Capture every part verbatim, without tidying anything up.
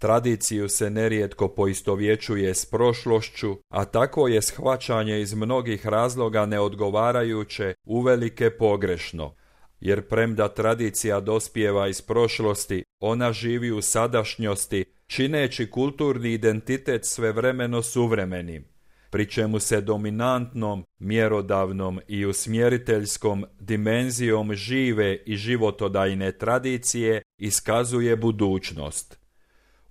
Tradiciju se nerijetko poistovjećuje s prošlošću, a takvo je shvaćanje iz mnogih razloga neodgovarajuće, uvelike pogrešno. Jer premda tradicija dospijeva iz prošlosti, ona živi u sadašnjosti, čineći kulturni identitet svevremeno suvremenim, pri čemu se dominantnom, mjerodavnom i usmjeriteljskom dimenzijom žive i životodajne tradicije iskazuje budućnost.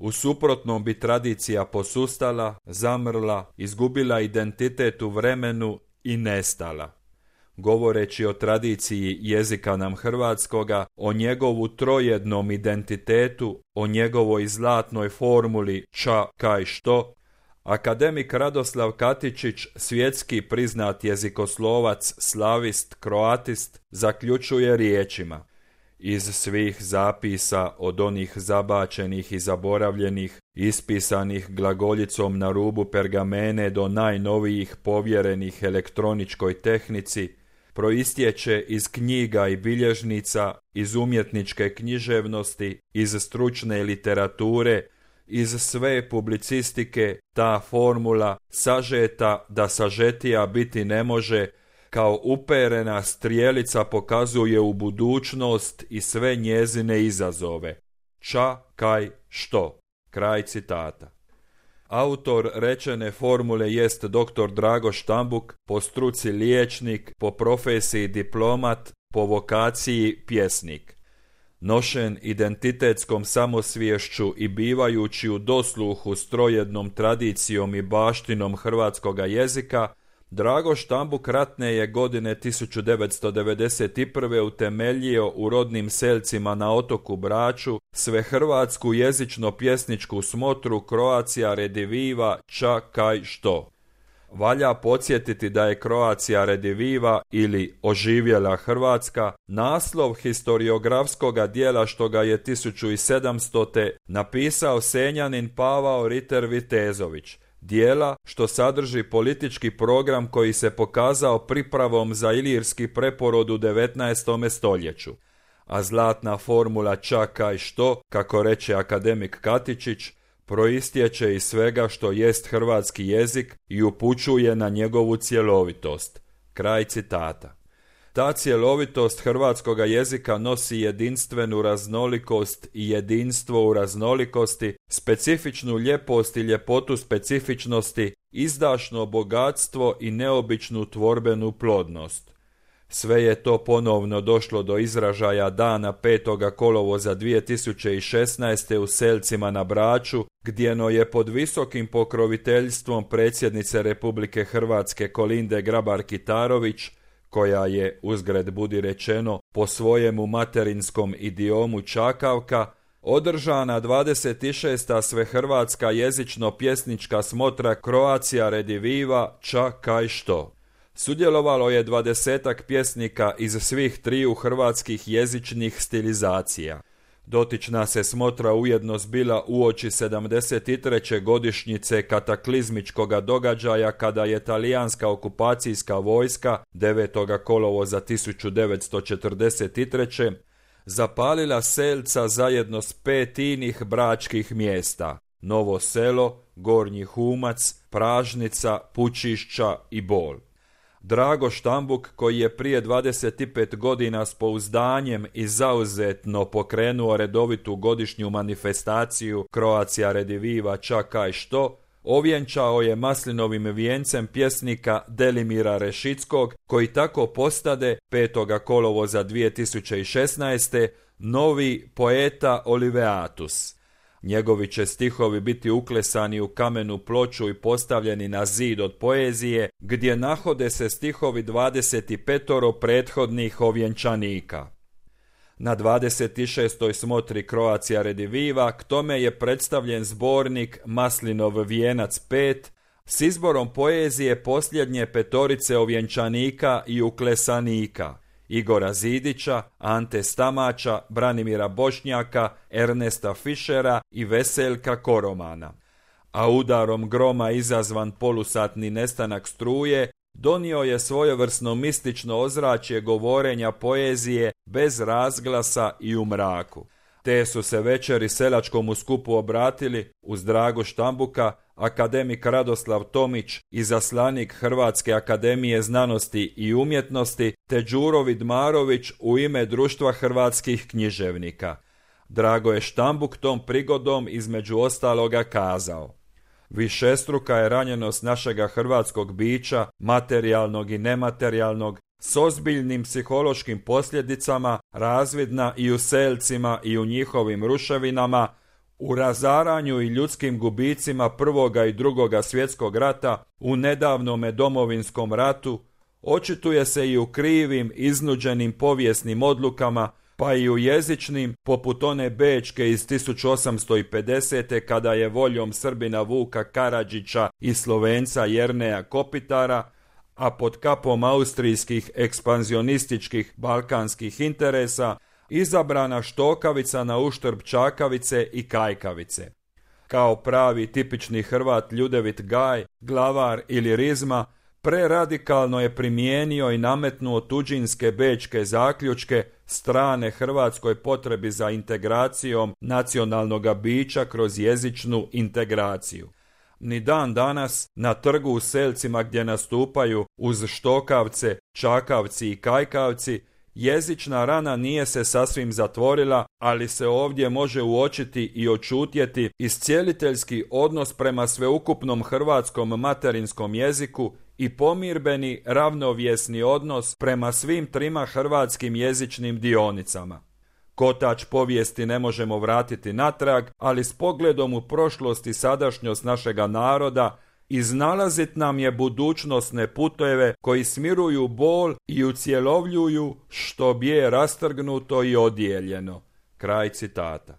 U suprotnom bi tradicija posustala, zamrla, izgubila identitet u vremenu i nestala. Govoreći o tradiciji jezika nam hrvatskoga, o njegovu trojednom identitetu, o njegovoj zlatnoj formuli ča, kaj, što, akademik Radoslav Katičić, svjetski priznat jezikoslovac, slavist, kroatist, zaključuje riječima: iz svih zapisa, od onih zabačenih i zaboravljenih, ispisanih glagoljicom na rubu pergamene do najnovijih povjerenih elektroničkoj tehnici, proistječe iz knjiga i bilježnica, iz umjetničke književnosti, iz stručne literature, iz sve publicistike, ta formula, sažeta da sažetija biti ne može, kao uperena strijelica pokazuje u budućnost i sve njezine izazove. Ča, kaj, što. Kraj citata. Autor rečene formule jest doktor Drago Štambuk, po struci liječnik, po profesiji diplomat, po vokaciji pjesnik. Nošen identitetskom samosviješću i bivajući u dosluhu s trojednom tradicijom i baštinom hrvatskoga jezika, Drago Štambuk ratne je godine tisuću devetsto devedeset prve utemeljio u rodnim selcima na otoku Braču svehrvatsku jezično-pjesničku smotru Croatia Rediviva ča, kaj, što. Valja podsjetiti da je Croatia Rediviva ili Oživjela Hrvatska naslov historiografskoga dijela što ga je tisuću sedamstote napisao Senjanin Pavao Riter Vitezović, dijela što sadrži politički program koji se pokazao pripravom za ilirski preporod u devetnaestom stoljeću. A zlatna formula ča, kaj, što, kako reče akademik Katičić, proistječe iz svega što jest hrvatski jezik i upućuje na njegovu cjelovitost. Kraj citata. Ta cjelovitost hrvatskoga jezika nosi jedinstvenu raznolikost i jedinstvo u raznolikosti, specifičnu ljepost i ljepotu specifičnosti, izdašno bogatstvo i neobičnu tvorbenu plodnost. Sve je to ponovno došlo do izražaja dana petoga kolovoza dvije tisuće šesnaeste. u Selcima na Braču, gdjeno je pod visokim pokroviteljstvom predsjednice Republike Hrvatske Kolinde Grabar-Kitarović, koja je, uzgred budi rečeno, po svojemu materinskom idiomu čakavka, održana dvadeset šesta svehrvatska jezično-pjesnička smotra Croatia Rediviva ča, kaj, što. Sudjelovalo je dvadesetak pjesnika iz svih triju hrvatskih jezičnih stilizacija. Dotična se smotra ujedno zbila uoči sedamdeset treće godišnjice kataklizmičkoga događaja kada je talijanska okupacijska vojska devetog kolovoza tisuću devetsto četrdeset treće. zapalila Selca zajedno s pet inih bračkih mjesta: Novo Selo, Gornji Humac, Pražnica, Pučišća i Bol. Drago Štambuk, koji je prije dvadeset pet godina s pouzdanjem i zauzetno pokrenuo redovitu godišnju manifestaciju Croatia Rediviva ča, kaj, što, ovjenčao je maslinovim vijencem pjesnika Delimira Rešickog, koji tako postade petog kolovoza dvije tisuće šesnaeste. novi poeta Oliveatus. Njegovi će stihovi biti uklesani u kamenu ploču i postavljeni na zid od poezije, gdje nahode se stihovi dvadeset petoro prethodnih ovjenčanika. Na dvadeset šestoj smotri Croatia Rediviva k tome je predstavljen zbornik Maslinov vijenac pet s izborom poezije posljednje petorice ovjenčanika i uklesanika: Igora Zidića, Ante Stamača, Branimira Bošnjaka, Ernesta Fišera i Veseljka Koromana. A udarom groma izazvan polusatni nestanak struje donio je svojevrsno mistično ozračje govorenja poezije bez razglasa i u mraku. Te su se večeri selačkomu skupu obratili, uz Dragu Štambuka, akademik Radoslav Tomić, izaslanik Hrvatske akademije znanosti i umjetnosti, te Đuro Vidmarović u ime Društva hrvatskih književnika. Drago je Štambuk tom prigodom između ostaloga kazao: višestruka je ranjenost našega hrvatskog bića, materijalnog i nematerijalnog, s ozbiljnim psihološkim posljedicama, razvidna i u selcima i u njihovim ruševinama, u razaranju i ljudskim gubicima Prvoga i Drugoga svjetskog rata, u nedavnome Domovinskom ratu, očituje se i u krivim, iznuđenim povijesnim odlukama, pa i u jezičnim, poput one bečke iz tisuću osamsto pedesete kada je voljom Srbina Vuka Karadžića i Slovenca Jerneja Kopitara, a pod kapom austrijskih ekspanzionističkih balkanskih interesa, izabrana štokavica na uštrb čakavice i kajkavice. Kao pravi tipični Hrvat Ljudevit Gaj, glavar ili rizma, preradikalno je primijenio i nametnuo tuđinske bečke zaključke strane hrvatskoj potrebi za integracijom nacionalnog bića kroz jezičnu integraciju. Ni dan danas na trgu u selcima gdje nastupaju uz štokavce, čakavci i kajkavci, jezična rana nije se sasvim zatvorila, ali se ovdje može uočiti i očutjeti iscijeliteljski odnos prema sveukupnom hrvatskom materinskom jeziku i pomirbeni ravnovjesni odnos prema svim trima hrvatskim jezičnim dionicama. Kotač povijesti ne možemo vratiti natrag, ali s pogledom u prošlost i sadašnjost našega naroda iznalazit nam je budućnosne puteve koji smiruju bol i ucjelovljuju što bje rastrgnuto i odijeljeno. Kraj citata.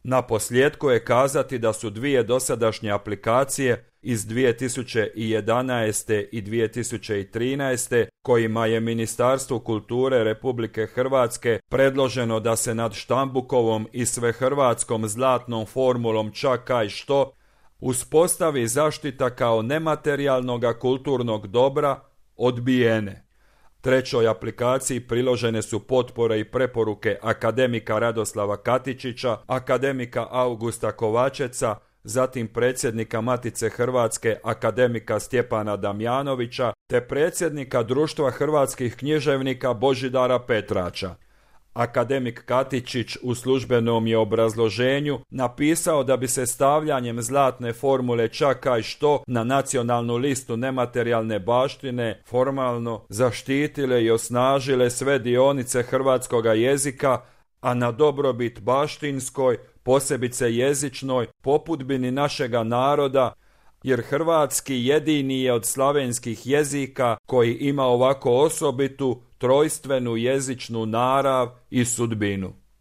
Na posljedku je kazati da su dvije dosadašnje aplikacije iz dvije tisuće jedanaeste i dvije tisuće trinaeste kojima je Ministarstvu kulture Republike Hrvatske predloženo da se nad Štambukovom i svehrvatskom zlatnom formulom čak kaj što uspostavi zaštita kao nematerijalnoga kulturnog dobra, odbijene. Trećoj aplikaciji priložene su potpore i preporuke akademika Radoslava Katičića, akademika Augusta Kovačeca, zatim predsjednika Matice Hrvatske akademika Stjepana Damjanovića te predsjednika Društva hrvatskih književnika Božidara Petrača. Akademik Katičić u službenom je obrazloženju napisao da bi se stavljanjem zlatne formule čak kaj što na nacionalnu listu nematerijalne baštine formalno zaštitile i osnažile sve dionice hrvatskoga jezika, a na dobrobit baštinskoj, posebice jezičnoj, popudbini našega naroda, jer hrvatski jedini je od slavenskih jezika koji ima ovako osobitu, trojstvenu jezičnu narav i sudbinu.